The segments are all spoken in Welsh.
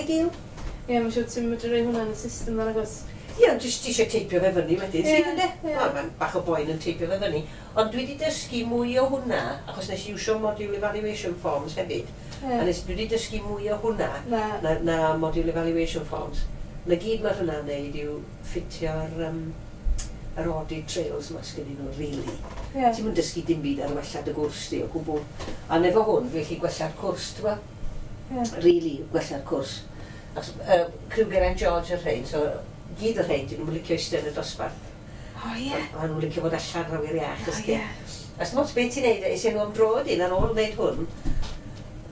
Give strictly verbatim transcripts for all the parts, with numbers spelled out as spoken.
Ideal. Ie, mae'n siŵr ti'n medru rhoi hwnna yn y system yna, agos. Ie, ond jyst ti eisiau teipio fe fyny wedyn, Ie, sydd ynddo? ie. Wel, mae'n bach o boen yn teipio fe fyny. Ond dwi wedi dysgu mwy o hwnna, achos nes i iwsio module evaluation forms hefyd. A Ie. nes dwi wedi dysgu mwy o hwnna Na. na, na module evaluation forms. Na gyd mae hwnna'n neud yw ffitio'r um, yr audit trails ma sgennyn nhw, really. Ie. Ti'n mynd dysgu dim byd ar wella dy gwrs di o gwbl. A efo hwn, dwi'n gallu gwella'r cwrs, ti'n gwbod? Ie. Really, gwella'r cwrs. Achos, uh, criw Geraint George yr rhain, so gyd yr rhain, dyn nhw'n licio eistedd yn y dosbarth. O, ie. A nhw'n licio fod allan ar awyr iach, O, ysdi. ie. A s'dim ots beth ti'n neud, es i nhw am dro wedyn ar ôl wneud hwn,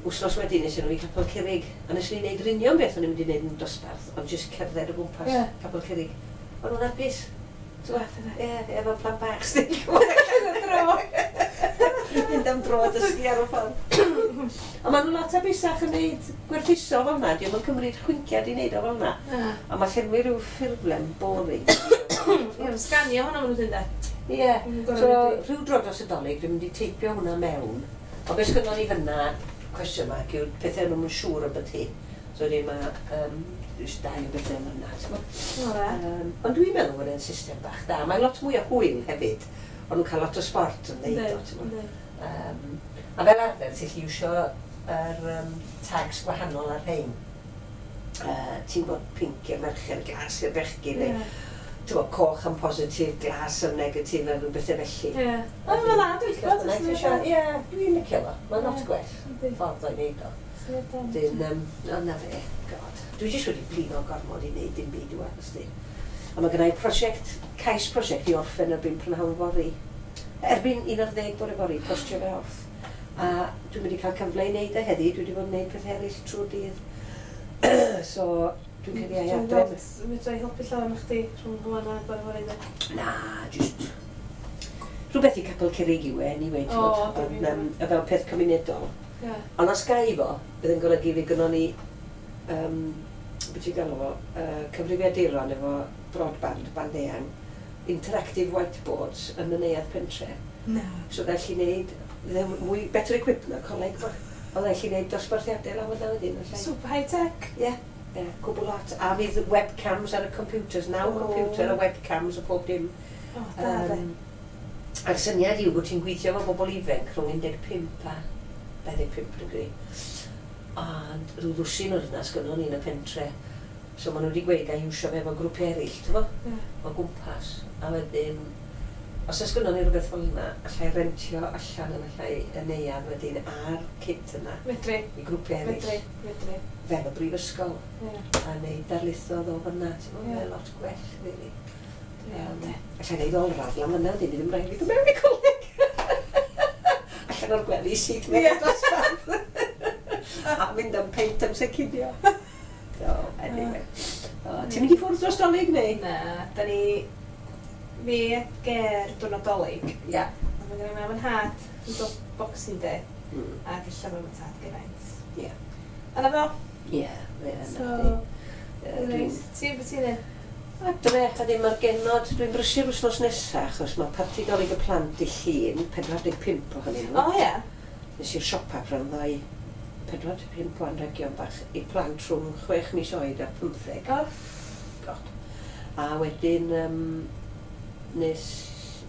wsnos wedyn es i nhw i Capel Curig. A nes i wneud yr union beth o'n i'n mynd i wneud yn dosbarth, ond jyst cerdded o gwmpas Ie. Capel Curig. O'n nhw'n hapus. Wath yna. Ie, efo plant bach sy'n Dro. Mynd am dro a dysgu ar y ffordd. A maen nhw lot hapusach yn neud gwerthuso fel yna. Dio'm yn cymryd chwinciad i wneud o fel yna. Na. A mae llenwi rhyw ffurflen boring. Ie, mae'n sganio hwnna maen nhw'n dweud. Ie. Mm, gorau So, mynd i- rhyw dro dros y Dolig, dwi'n mynd i teipio hwnna mewn. Ond beth sgynnon ni fyna, cwestiwn mark, yw'r pethau nhw'n siŵr am beth hi. So, wedyn mae um, jyst dau o bethau yna, ti'n gwbod? O, dda. Um, ond dwi'n meddwl bod e'n system bach da. Mae lot mwy o hwyl hefyd. Ond nhw'n cael lot o sport yn neud o, ti'n gwbod? Yndi. Um, a fel arfer, ti'n gallu iwsio yr um, tags gwahanol ar rhain. Uh, ti'n gwybod pinc i'r merched, glas i'r bechgyn, neu Ie. ti'n gwbod, coch am positif, glas am negatif, a rhyw bethau felly. Ie. O, mae'n dda, dwi'n licio fo. Ie, dwi'n licio fo. Mae'n lot Ie. gwell Yndi. ffordd o'i wneud o. Syniad da. Dyn, um, o na fe, God. Dwi jyst wedi blino gormod i wneud dim byd wan, ysdi. A mae gennau prosiect, cais prosiect i orffen erbyn prynhawn fory. Erbyn un ar ddeg bore fory, postio fe off. A dwi'n mynd i cael cyfle i wneud e heddi, dwi wedi bod yn wneud peth eraill trwy'r dydd. So, dwi'n credu ai Dwi'n adre. gweld, fedra i helpu llawer am chdi rhwng hwnna a bore fory de. Na, just rhywbeth i Capel Curig yw e, anyway, ti'n O, gwbod, dwi'n ond, um, a fel peth cymunedol. Ie. Ond os gai fo, bydd yn golygu fi gynnon ni, um, beth ti'n galw fo, uh, cyfrifiaduron efo broadband, band eang, interactive whiteboards yn y neuadd pentre. Na. So gallu neud, fydd e'n mwy better equipped na coleg ma. Ond gallu neud dosbarthiadau lawr yna wedyn. allai. Super high tech. Ie, ie, cwbl lot. A fydd webcams ar y computers, naw O. computer a webcams a pob dim. O, da, de. Um, a'r syniad yw bod ti'n gweithio efo bobl ifanc rhwng un deg pump a dau ddeg pump, dwi'n credu. Ond rhyw ddwsin o'r yna sgynnon ni yn y pentre. So maen nhw wedi gweud gael iwsio fe efo grwpiau eraill, ti'n bo? Ie. O gwmpas. A wedyn, os oes gynnon ni rhywbeth fel yna, allai rentio allan yn allai y neuadd wedyn a'r kit yna Medri. i grwpiau eraill. Medri. Medri. Fel y brifysgol. Ie. A neud darlithoedd o fyna, ti'n bo? Ie. Mae'n lot gwell, really. Ie, Um, de. Allai neud olradd lan fyna, wedyn, ddim rhaid fi ddod mewn i coleg. Allan o'r gwely syth mewn Ie. i'r dosbarth. A mynd am peint amser cinio. So, anyway. Uh, ti'n mynd i ffwrdd dros Dolig neu? Na, da ni fi a Ger diwrnod Dolig. Ia. A mae gen i mam yn nhad yn dod Boxing Day. Mm. Ac ella mam yn tad Geraint. Ie. A na fo. Ie, ie, So, na chdi. Ie, reit. Ti'n beth ti'n neud? Adre, a ddim ar genod, dwi'n brysur wythnos nesaf, achos mae parti Dolig y plant i Llun, pedwar deg pump ohonyn nhw. O, ie. Nes i'r siopa pran ddau, pedwar deg pump o anrhegion bach i plant rhwng chwech mis oed a pymtheg. O. God. A wedyn, um, nes...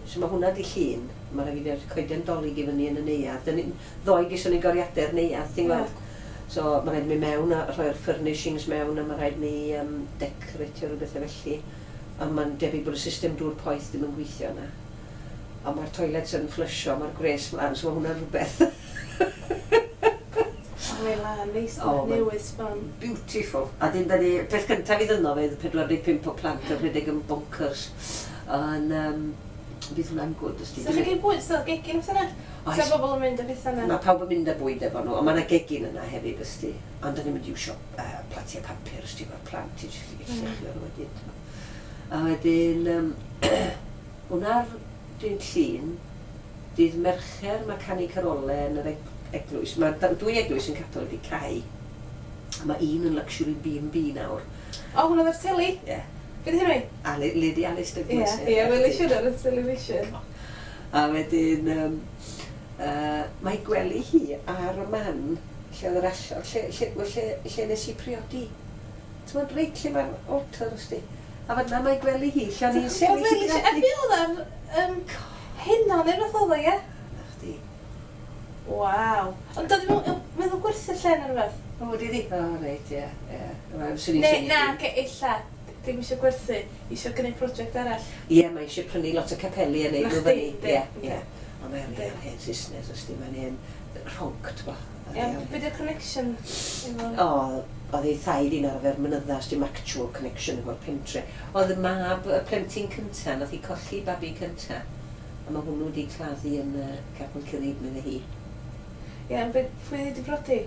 So mae hwnna di Llun, mae rhaid fi ddod coeden Dolig i fyny yn y neuadd. Dyn ni- Ddoe geson ni goriadau'r neuadd, ti'n Ie. gweld? So mae rhaid mi mewn a rhoi'r furnishings mewn a mae rhaid ni um, decoratio rhyw bethau felly. A mae'n debyg bod y system dŵr poeth ddim yn gweithio yna. A mae'r toilets yn fflysio, mae'r gwres mlaen, so mae hwnna'n rhywbeth O, mae'n lan, neis, O, ma'n- newydd sbon. Beautiful. A dyn da ni, peth cyntaf i ddynno fydd pedwar deg pump o plant yn rhedeg yn bonkers. Ond um, fydd hwnna'n good, os So chi'n cael bwyd, so gegin oes yna? Oes. So bobl yn mynd â pethau yna? Mae pawb yn mynd â bwyd efo nhw, ond mae yna gegin yna hefyd, ysdi. Ond da ni'n mynd i iwsio uh, platiau papur, ysdi, efo'r plant i jyst i Mm. llechio nhw wedyn. A wedyn, um, hwnna'r dydd Llun, dydd Mercher mae canu carolau yn yr eg- eglwys. Mae da- dwy eglwys yn capel wedi cau. Mae un yn luxury B and B nawr. O, hwnna o'r teli? Ie. Yeah. Beth yw hynny? Ali, Lady Alice Ie, Douglas. ie, welis i ar y television. A wedyn, um, uh, mae gwely hi ar y man Lle oedd yr allor, lle, lle, lle, lle, lle nes i priodi. Ti'n meddwl reit lle mae'r altar, os di. A fan'na mae gwely hi, lle o'n i'n sefyll i A briodi. be oedd am um, hynna neu rhywbeth oedd o, ie? Na chdi. Waw. Ond doedd ddim yn meddwl gwerthu'r lle neu rhywbeth? O, wedi di? O, reit, ie, ie. Wel, swn i'n Ne, synnu na, dim. ge- ella. Dim eisiau gwerthu, eisiau gwneud prosiect arall. Ie, mae eisiau prynu lot o capeli a neud Na nhw chdi, fyny. yndi, Ie, yndi. ie. Ond mae'n Yndi. real hen Saesnes, os di, mae'n hen rhonc, ti'n bo. Ie, be di'r connection? efo- O, oedd ei thaid i'n arfer mynydda, os dim actual connection efo'r pentre. Oedd y mab, y plentyn cynta, nath i colli babi cynta. A mae hwnnw wedi claddu yn uh, Capel Curig, medde hi. Ie, ond be, pwy wedi brodi?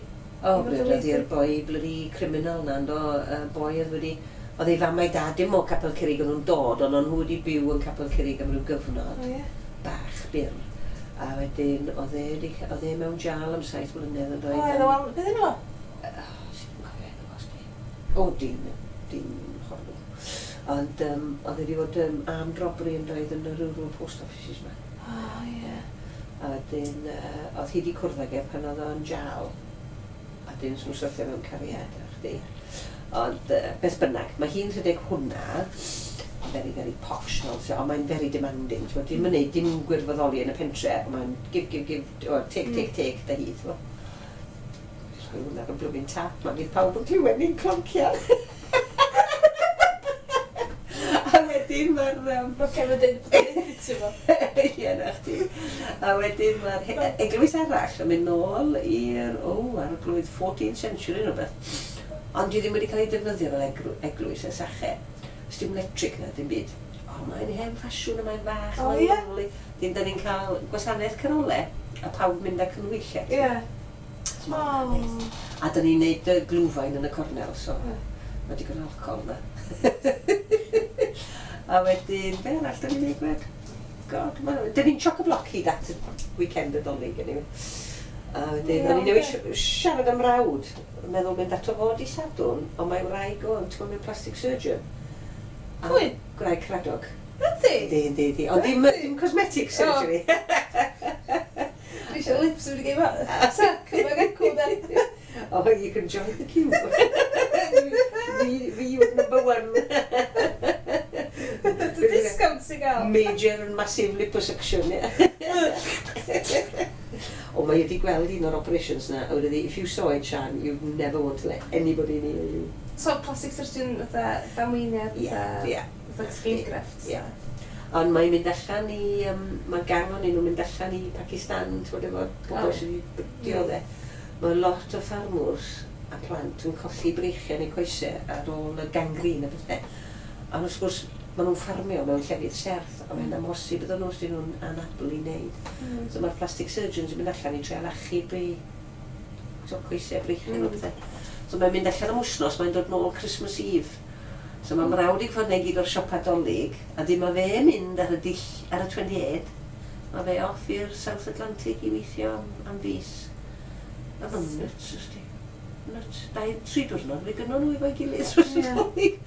O, Efo dy briododd lady? i'r boi bloody criminal na, yndo, y boi oedd wedi... Oedd ei fam a'i dad dim o Capel Curig o'n nhw'n dod, ond o'n nhw wedi byw yn Capel Curig am ryw gyfnod. O, ie. Bach, byr. A wedyn, oedd e, wedi, oedd e mewn jal am saith mlynedd yn O, doedd. oedd o, wel, beth enw? Sut dwi'n cofio enw fo, sdi? O, dim, dim horrible. Ond um, oedd e wedi bod um, armed robbery yn doedd yn y rural post offices ma. O, ie. A wedyn, uh, oedd hi wedi cwrdd ag e pan oedd o'n jal. A dyn nhw'n syrthio mewn cariad, a chdi. Ond uh, beth bynnag, mae hi'n rhedeg hwnna, very, very posh, fel, so, ond mae'n very demanding. T'mo, dim yn neud dim gwirfoddoli yn y pentre, ond mae'n give, give, give, o, take, take, take, da hi, t'mo. Jyst rhoi hwnna ar y blwmin tap, ma, fydd pawb yn clywed ni'n cloncian. A wedyn mae'r... Um, Mae Kevin yn dweud bod o'n editio fo. Ie, na chdi. A wedyn mae'r he- eglwys arall yn mynd nôl i'r, o, ar y blwydd fourteenth century neu beth. Ond dwi ddim wedi cael ei defnyddio fel eglw- eglwys ers ache. Os dim electric na, dim byd. O, mae'n hen ffasiwn a mae'n fach, O, mae'n ie? lovely. Dyn, da ni'n cael gwasanaeth carolau a pawb mynd â canhwyllau. Ie. So ma' hwnna'n neis. A da ni'n neud y glwfain yn y cornel, so Ie. mae digon o alcohol na. A wedyn, be arall da ni'n neud gwed? God, ma, da ni'n chock-a-block hyd at y weekend y Dolig, anyway. A wedyn, Ie, o'n i newydd ocê. si- siarad am rawd, yn meddwl mynd ato fo di Sadwrn, ond mae wraig o yn ti'n mynd plastic surgeon. A Pwy? Gwraig Cradog. Ydy? Yndi, yndi, yndi. Ond dim, dim cosmetic surgery. Dwi eisiau lips wedi gael fo. Sa, cymryd acw da. Oh, you can join the queue. fi, fi yw number one. Dy discount sy'n gael. Major and massive liposuction, yeah. O, mae wedi gweld un o'r operations na, a wedi dweud, "If you saw it, Sian, you'd never want to let anybody near you." So, plastic surgeon fatha damweiniad, Ie, fatha ie. fatha skin graft. Ie. Ond mae'n mynd allan i, um, mae gang o'n nhw'n mynd allan i Pakistan, ti'n gwybod, efo pobl Oh. sydd wedi dioddef. Mae lot o ffarmwrs a plant yn colli breichiau neu coesau ar ôl y gangrene a bethau. Ond wrth gwrs, maen nhw'n ffarmio mewn llefydd serth, a mae'n amhosib iddyn nhw os dyn nhw'n anabl i wneud. Mm. So mae'r plastic surgeons yn mynd allan i treial achub eu so, coesau, breichiau mm. Mm. a bethau. So mae'n mynd allan am wythnos, mae'n dod nôl Christmas Eve. So mae mrawd i fod gyd o'r siopa Dolig, a dim mae fe mynd ar y dill, ar y twenty-eight, mae fe off i'r South Atlantic i weithio am, am fis. A mae'n nuts, ysdi. Nuts. Dau, tri diwrnod, fe gynnon nhw efo'i gilydd dros y Ie. Dolig.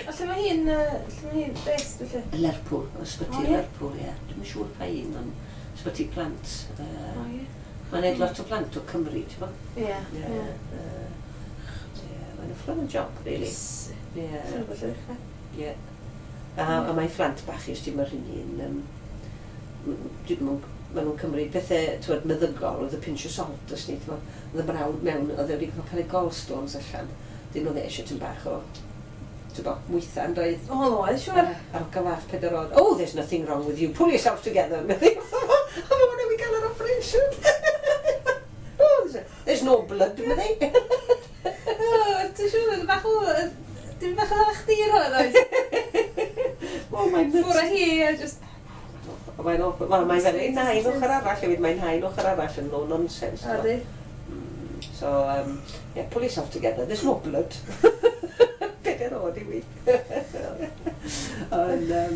A lle mae hi'n, yy, lle mae hi'n based, felly? Lerpwl, ysbyty O, ie? Lerpwl, ie. Dwi'm yn siŵr pa un, ond ysbyty plant. O, Uh, ie. Mae'n neud lot o plant o Cymru, ti'n bo? Ie. Ie. Ie. Yy, Ie, mae'n fflan job, really. Ie. Siŵr bod lle ddechrau. Ie. A, a mae phlant bach i, os ti'n mae'r hynny yn... Um, maen nhw'n cymryd pethau, t'wod, meddygol with a pinch of salt, os ni, t'mo. Oedd y brawd mewn, oedd e wedi cael ei gallstones allan. Dyn nhw eisiau tyn bach o, ti'n bo, mwytha yn doedd. O, oedd, siŵr. A'r hogan fach pedair oed, "Oh, there's nothing wrong with you, pull yourself together." Meddi wrtho fo, a ma hwnna wedi cael yr operation. "Oh, there's, there's no blood," meddi. O, ti'n siŵr, oedd bach o... Dim bach o chdi yr hwn, oes? Oh, mae'n nuts. Ffwr â hi, a just... Mae'n awful. Wel, mae'n fel ei nain ochr arall hefyd, mae'n nain ochr arall yn no nonsense. O, di. Mm, So, um, yeah, pull yourself together. There's no blood. Pedair oed i fi. Ond, um,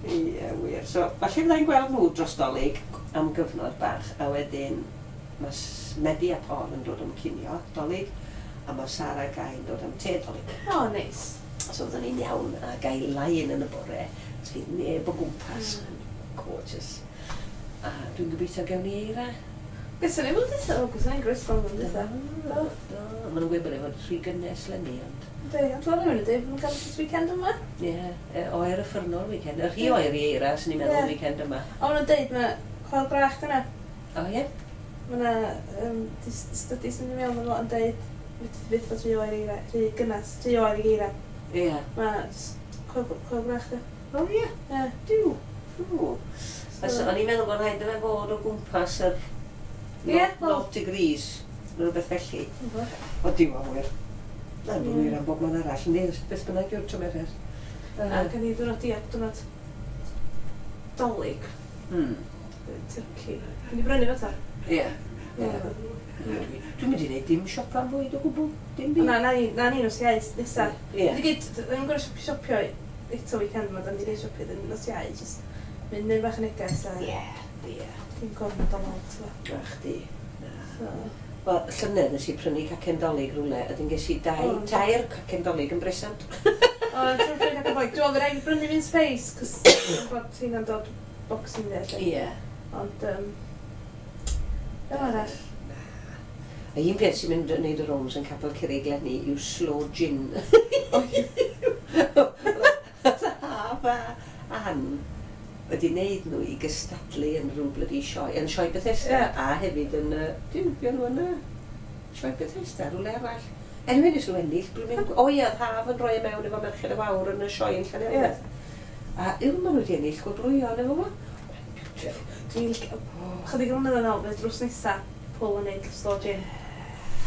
ie, wir. So, falle fyddai'n gweld nhw dros Dolig am gyfnod bach, a wedyn mae S- Medi a Paul yn dod am cinio Dolig, a mae Sara a Guy yn dod am te Dolig. O, neis. So fyddwn ni'n iawn a gael lie-in yn y bore, so fydd neb o gwmpas. Mm. Gorgeous. A dwi'n gobeithio gewn ni eira. Gysyn ni flwyddyn dwytha, o, gysyn ni'n groes flwyddyn dwytha. Do, do. Maen nhw'n gweud bod e'n rhy gynnes leni, ond... Yndi, ond fel rhywun yn dweud, mae'n cael this weekend yma. Ie, yeah, oer uffernol weekend. Y rhy oer i eira, sy'n ni'n meddwl Ie. weekend yma. O, maen nhw'n deud, mae chwal brach dyna. O ie? Mae yna um, studies yn mynd i mewn efo yn deud, fydd fydd rhy oer i eira, rhy gynnes, rhy oer i eira. Ie. Mae chwal chwal brach dy. O ie, Ie. diw. O. So, o'n i'n meddwl bod rhaid i fe fod o gwmpas yr Ie, wel- nought degrees, neu rhywbeth felly. O diw a wir. Na'n Ie. wir am bob man arall, yndi, beth bynnag yw'r tymheredd. A gan i ddwrnod diag, diwrnod Dolig, Hmm. turkey. Dwi'n di brynu fe ta. Ie. Ie. Dwi'n mynd i wneud dim siopa am fwyd o gwbl. Dim byd. Na, na ni, na ni nos Iau nesa. Ie. Dwi gyd, dwi'n gorau siopio eto weekend yma, dan di gyd siopio dyn nos Iau, just mynd mynd bach yn neges a Ie. Ie. dim gormod o lot. t'bo. Na chdi. Na. So, Wel, llynedd nes i prynu cacen Dolig rhywle, a dyn ges i dau, O. tair cacen Dolig yn bresant. O, dwi'n prynu cacen Dolig. Dwi'n meddwl rhaid i brynu mince pies, cos dwi'n gwybod hynna'n dod Boxing Day. lle. Ie. Ond, um, fel arall. A un peth sy'n mynd yn neud y rounds yn Capel Curig leni yw sloe gin. Haf a Ann wedi wneud nhw i gystadlu yn rhyw bloody sioe, yn sioe Bethesda, Ie. a hefyd yn, uh, dim, fuon nhw yn uh, sioe Bethesda, rhywle arall. Anyway, nes nhw ennill, dwi'n mynd, o ie, oedd Haf yn rhoi e mewn efo Merched y Wawr yn y sioe yn Llanelwedd. A yw, maen nhw wedi ennill gwobrwyon efo fo. Dwi'n licio, chydig o flynyddoedd yn ôl, fydd drws nesa, Paul yn neud sloe gin.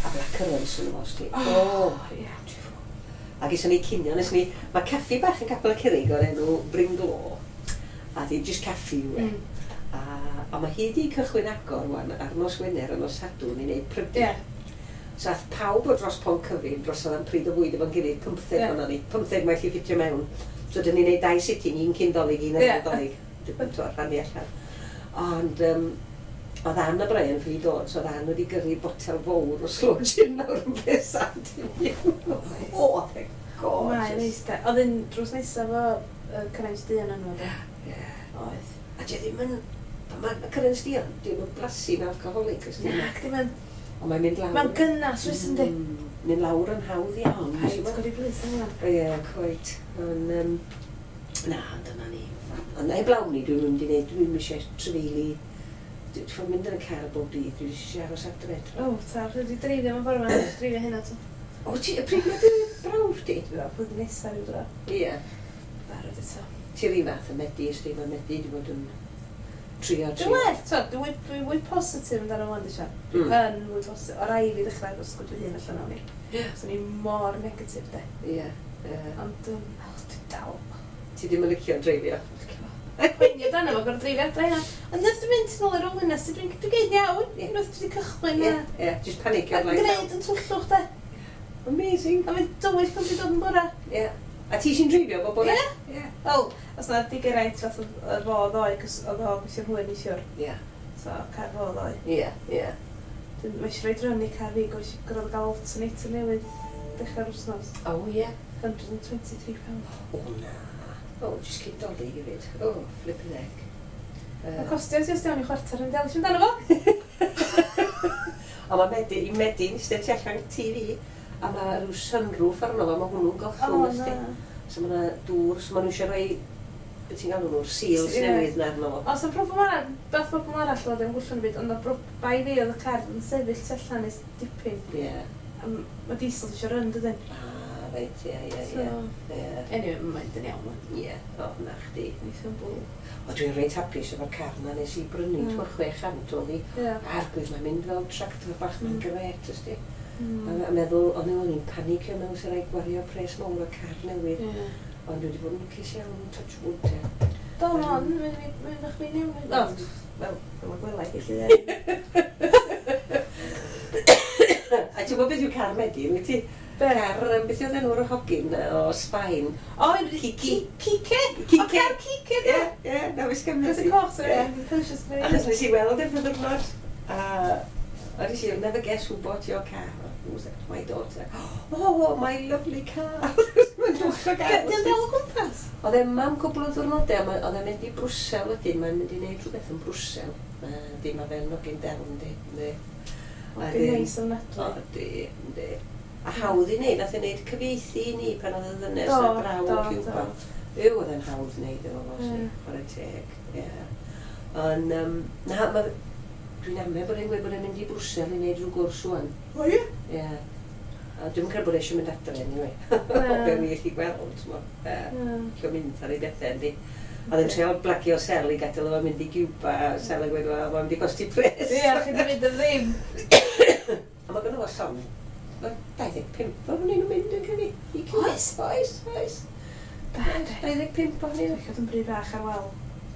A blackcurrants yn fo, sti. O, ie. A geson ni cinio, nes ni, mae caffi bach yn Capel y Curig o'r enw Brynglo. A di just caffi yw e. Mm. A, a mae hi di cychwyn agor wan ar nos Wener a nos Sadwrn i wneud prydau. Ie. So ath pawb o dros Pont Cyfun dros am pryd o fwyd efo'n gilydd, pymtheg Ie. yeah. ni, pymtheg mae chi ffitio mewn. So dyn ni'n neud dau sitting, un cyn Dolig, un ar Ie. ôl Dolig. Dwi'n rhannu allan. Ond um, oedd Ann a Brian ffili dod, so oedd Ann wedi gyrru botel fawr o sloe gin lawr yn presant i fi. O, thank God. Mae'n neis de. Oedd un drws nesa fo uh, Cyrraes Duon yno, de. Ie. Oedd. A di ddim yn... Mae cyrraedd duon, di ddim yn blasu'n alcoholic, ys Na, ddim yn... Ond mae'n mynd lawr. Mae'n gynnas, wyt yndi? Mm, mynd lawr yn hawdd iawn. Paid godi blys yn hwnna. Ie, quite. Ond, um, na, dyna ni. Ond heblaw ni, dwi'n mynd i wneud, dwi'n eisiau trefeili. Dwi'n ffordd mynd yn y car bob dydd, dwi'n eisiau aros adre. O, ta, dwi wedi dreifio mewn ffordd yma, dreifio hynna to. O, ti, y pryd mae dy brawf di? Dwi'n meddwl, blwyddyn nesa rhyw dro. Ie. Barod eto. Ti'r un fath yn Medi, ysdi, mae Medi wedi bod yn trio, Dwi'n trio. well, to, dwi'n fwy, dwi fwy positif amdano fo, Sian. Dwi Mm. yn fwy positif. O rai fi ddechrau efo sgwyd fy hun allan o'n i. Ie. So ni mor negatif, de. Ie. Ie. Ond, um, oh, dwi'n dal. Ti ddim yn licio dreifio? Poeni amdano fo, gorfod dreifio adre hynna. Ond wrth dwi'n mynd nôl i'r ôl yna, dwi'n dwi'n geud iawn. Ie. Unwaith dwi wedi cychwyn Ie, na. ie, just panicio. A gwneud yn twllwch, de. Amazing. A mae'n dywyll pan dwi'n dod yn bora. Ie. A ti sy'n dreifio bob bore? Ie. Ie. Wel, os na di Geraint fath o fo ddoe, cos oedd o gweithio'n hwyr neithiwr. Ie. So, car fo ddoe. Ie, ie. Dwi'n mae eisiau rhoi run i car fi, gorfod gael alternator newydd dechrau'r wythnos. O, ie. one hundred and twenty-three pounds. O, na. O, just cyn Dolig hefyd. O, flipping heck. Mae'n Uh, costio ti os iawn i chwarter yn dewis amdano fo. A mae Medi, i Medi'n eistedd tu allan T V, a mae rhyw sunroof arno fo, mae hwnnw'n O, gollwng, ysdi. na. So mae yna dŵr, so maen nhw eisiau rhoi, beth ti'n galw nhw'r seals Ie. newydd na arno fo. Os o'n problem arall, beth problem arall oedd yn gwllwn y byd, ond o bai fi oedd y car yn sefyll tu allan ers dipyn. Ie. A m- mae diesel eisiau run, dydyn? Ah, reit, ie, ie, So, ie. Ie. anyway, mae'n dyn iawn. Ie, o, na chdi. Neithio'n bwl. O, dwi'n reit hapus efo'r car na nes i brynu, Mm. mm. chwe chant oedd hi. Ie. Arglwydd, mae'n mynd fel tractor bach, mae'n Mm. gret, ysdi. Mm. A, a meddwl, o'n i'n o'n i'n panicio mewn sy'n rhaid gwario pres mawr o car newydd. Ie. Ond dwi wedi bod yn lwcus iawn, touch wood, te. Do, on, mae'n mynd bach fi'n iawn. O, wel, fel y gwela i chi. A ti'n gwybod beth yw car Medi, wyt ti? Be? Car, um, beth oedd enw'r hogyn yy, o Sbaen? O, Kiki. Kike? Kike. O, car Kike, Ie, ie, na wis gan Cos y Medi. coch, sorry. Ie. Conscious Achos nes i weld e fy ddwrnod, a a nes i, "Never guess who bought your car." "Who's that?" "My daughter." "Oh, my lovely car." Mae'n dwch o gar. Di'n dal o gwmpas? Oedd e yma am cwbl o ddiwrnodau, a ma- oedd e'n mynd i Brwsel wedyn, mae'n mynd i wneud rhywbeth yn Brwsel. Di, mae fe'n hogyn del, yndi, yndi. Hogyn neis ofnadwy. O, di, yndi. A hawdd i wneud, nath e wneud cyfieithu i ni pan oedd y ddynes Do, na draw do, o Cuba. do. Yw, oedd e'n hawdd wneud efo fo, Ie. chwarae teg, ie. Ond, um, na, ma, dwi'n amau bod e'n gweud bod e'n mynd i Brwsel i wneud rhyw gwrs ŵan. O ie? Ie. A dwi'n credu bod e eisiau mynd adre, anyway. Na. O be o'n i allu gweld, t'mo. Yy, Na. Licio mynd ar ei bethau, yndi. Oedd e'n treial blagio Sel i gadael efo mynd i Cuba, a Sel yn gweud, wel, mae'n mynd i gosti pres. Ie, chi di mynd am ddim. A mae gynno fo llon, ma' dau ddeg pump ohonyn nhw'n mynd yn credu. I Cuba. Oes? Oes, oes. Da, de. dau ddeg pump ohonyn nhw. Licio fod yn bry bach ar wal.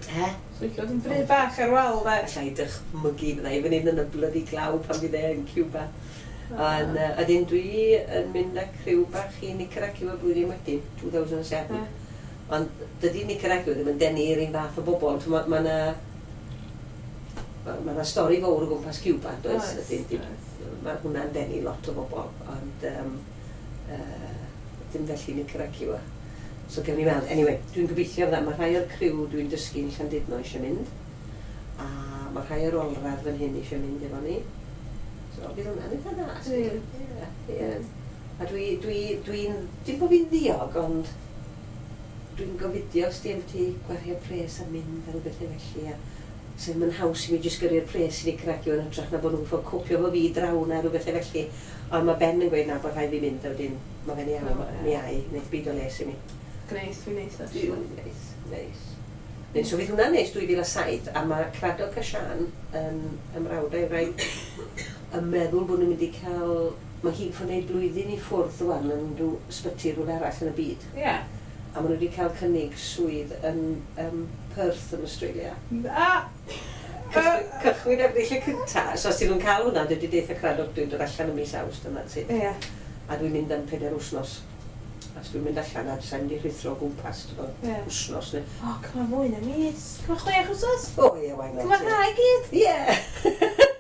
He? Licio fod yn bry bach ar wal, de. Alla i dychmygu fydda i fan hyn yn y bloody glaw pan fydd e yn Cuba. Ond uh, ydyn dwi yn mynd â criw bach i Nicaragua blwyddyn wedyn, two thousand seven. Ie. Ond dydy Nicaragua ddim yn denu yr un fath o bobl. Mae ma 'na ma, ma 'na stori fawr o gwmpas Cuba, does? Oes, Ydyn, dim- oes. Mae hwnna'n denu lot o bobl, ond um, uh, dim felly Nicaragua. So gewn ni weld. Anyway, dwi'n gobeithio fydda. Mae rhai o'r criw dwi'n dysgu yn Llandudno eisiau mynd. A mae rhai o'r olradd fan hyn eisiau mynd efo ni. So fydd hwnna'n eitha dda. Ie. Ie, ie. A dwi, dwi, dwi'n, dim bod fi'n ddiog, ond dwi'n gofidio os di ti gwario pres a mynd a rhyw bethau felly. A so mae'n haws i mi jyst gyrru'r pres i Nicaragua yn hytrach na bod nhw'n ffordd copio fo fi draw na rhyw bethau felly. Ond mae Ben yn gweud na bod rhaid fi mynd a wedyn mae fe'n iawn, O, ie. mi ai, wneud byd o les i mi. Gneith, fi'n neis, Duw, actually. neis, neis. Neu, so fydd hwnna'n neis dwy fil a saith, a mae Cradog a Sian yn ymrawd a'i wraig yn meddwl bod nhw'n mynd i cael. Mae hi'n ffod wneud blwyddyn i ffwrdd rwan yn rhyw ysbyty rhywle arall yn y byd. Ie. A maen nhw wedi cael cynnig swydd yn um, Perth yn Australia. A! Cychwyn, cychwyn Ebrill y cynta. So os ti'n nhw'n cael hwnna, dwi wedi deutha Cradog dwi'n dod allan ym mis Awst yna. Sydd. Ie. A dwi'n mynd am pedair wythnos. Os dwi'n mynd allan a sa'n mynd i rhuthro o gwmpas, ti'n gwbod, Ie. wythnos neu. O, cyma mwy na mis. Cyma chwech wsos. O ie, why not? Cyma'r ha i gyd. Ie!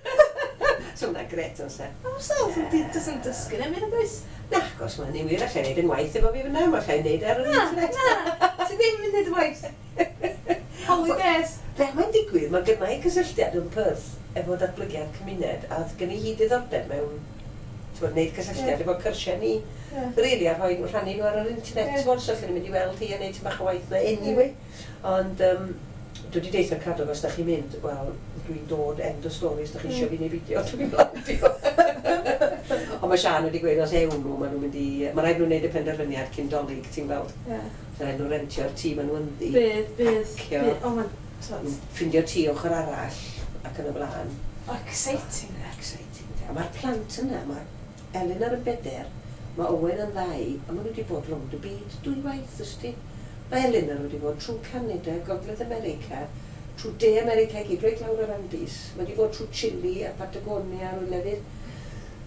So hwnna'n gret o'n se. O, sel, does yn dysgu neu mynd, oes? Na, gos mae'n ni wir allai neud yn waith efo fi fyna, mae allai neud ar yr Na, internet. na. Ti ddim yn neud y waith. Holidays. Fel mae'n digwydd, mae gynna i cysylltiad yn Perth efo datblygiad cymuned, a oedd gen i hi diddordeb mewn, ti'n gwbod, neud cysylltiad Ie. efo cyrsiau ni, Ie. really, a rhoi, rhannu nhw ar yr internet, Ie. ti'n gwbod, so allan ni'n mynd i weld hi a neud tipyn bach o waith na anyway. Ond um, dwi wedi deutha Cadog os da chi'n mynd, wel, dwi'n dod, end of story, os da chi Mm. eisiau fi neu beidio, dwi'n landio. Ond mae Sian wedi gweud os ewn nhw, maen nhw'n mynd i. Mae rhaid nhw wneud y penderfyniad cyn Dolig, ti'n gweld. Ie. Mae rhaid nhw rentio'r tŷ maen nhw ynddi. Bydd, bydd. Pacio. Bydd. O, mae'n... t'mod, Ffindio tŷ ochr arall ac yn y blaen. O, exciting, de. Exciting. A mae'r plant yna, mae Elin ar y beder, mae Owen yn ddau, a maen nhw wedi bod rownd y byd dwy waith, ysdi. Mae Elinor wedi bod trwy Canada, Gogledd America, trwy De America i gyd, reit lawr yr Andes. Mae wedi bod trwy Chile a Patagonia a rhyw lefydd.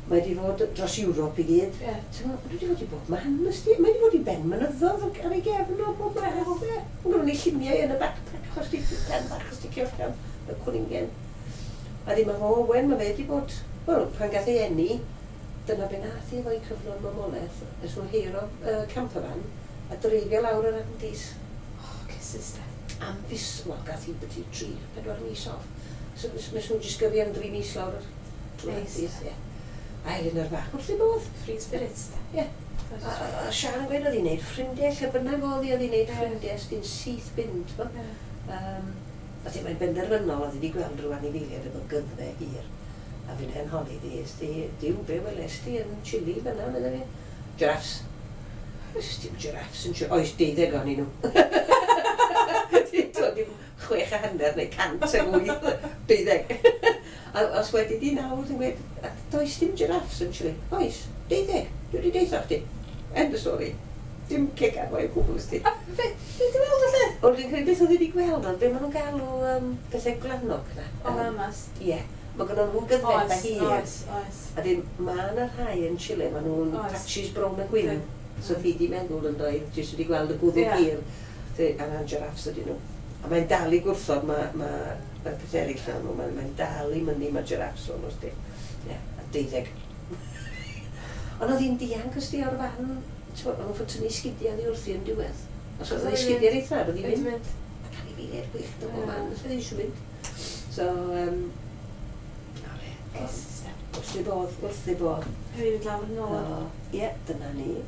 Mae wedi bod dros Ewrop i gyd. Ie. Ti'n meddwl, mae wedi bod i bob man, ysdi. Mae wedi bod i ben mynyddodd ar ei gefn o bob man. Mae gynnon ni lluniau yn y backpack, achos di pen bach, os di allan, y cwningen. A di mae Owen, mae fe wedi bod, wel, pan gath ei eni, dyna be nath i efo'i cyfnod mamolaeth, es nhw heiro uh, campervan a dreifio lawr yr Andes O, kisses, de. Am fis, wel, gath hi byti tri, pedwar mis off. So, nes nes nhw jyst gyrru am dri mis lawr yr trwy'r Neis. Andes, ie. A Elinor fach wrth ei bodd. Free spirits, de. Ie. A, a, a Sian yn gweud oedd hi'n neud ffrindiau, lle bynnag oedd hi, oedd hi'n neud Ie. ffrindiau, sdi'n syth bin, t'bo? Ie. Um, a ti, mae'n benderfynol, oedd hi wedi gweld rhyw anifeiliaid efo gyddfe hir. A fi'n hen holi di, ysdi, diw, be weles di yn Chile fyna, medda fi. Giraffes. Oes dim giraffes yn Chile. Oes, deuddeg ohonyn nhw. Dim dim chwech a hanner neu cant a wyth, deuddeg. A os wedi di nawr, dwi'n gweud, "A does dim giraffes yn Chile?" Oes, deuddeg. Dwi wedi deutha chdi. End of story. Dim cegan o'i gwbl ysdi. A be, be di weld felly? Wel, dwi'n credu beth oedd wedi gweld, ond be maen nhw'n galw um, bethau gwlanog na. O, Yym, lamas. Ie. Mae gynnon nhw gyddfetha Oes, hir. oes, oes. A dyn, mae yna rhai yn Chile, maen nhw'n Oes. patches brown a gwyn. Yndi. So fi di meddwl yn doedd, jyst wedi gweld y gwddw Ie. hir. So, a na'n giraffes ydyn nhw. A mae'n dal i gwrthod, mae ma, y peth eraill na nhw, mae'n mae dal i mynnu mae giraffes o'n nhw, Ie, a deuddeg. Ond oedd hi'n dianc os di o'r fan, ti'n gwbod, o'n nhw'n fod tynnu sgidiau oddi wrthi yn diwedd. Os oedd ei sgidiau reit dda, oedd hi'n Wedi mynd. mynd. Ac anifeiliaid gwyllt o bob Ie. man, os oedd hi eisiau mynd. So, um, na fe, Cysys de. wrth ei bodd, wrth ei bodd. Hefyd mynd lawr yn ôl. So, ie, dyna ni.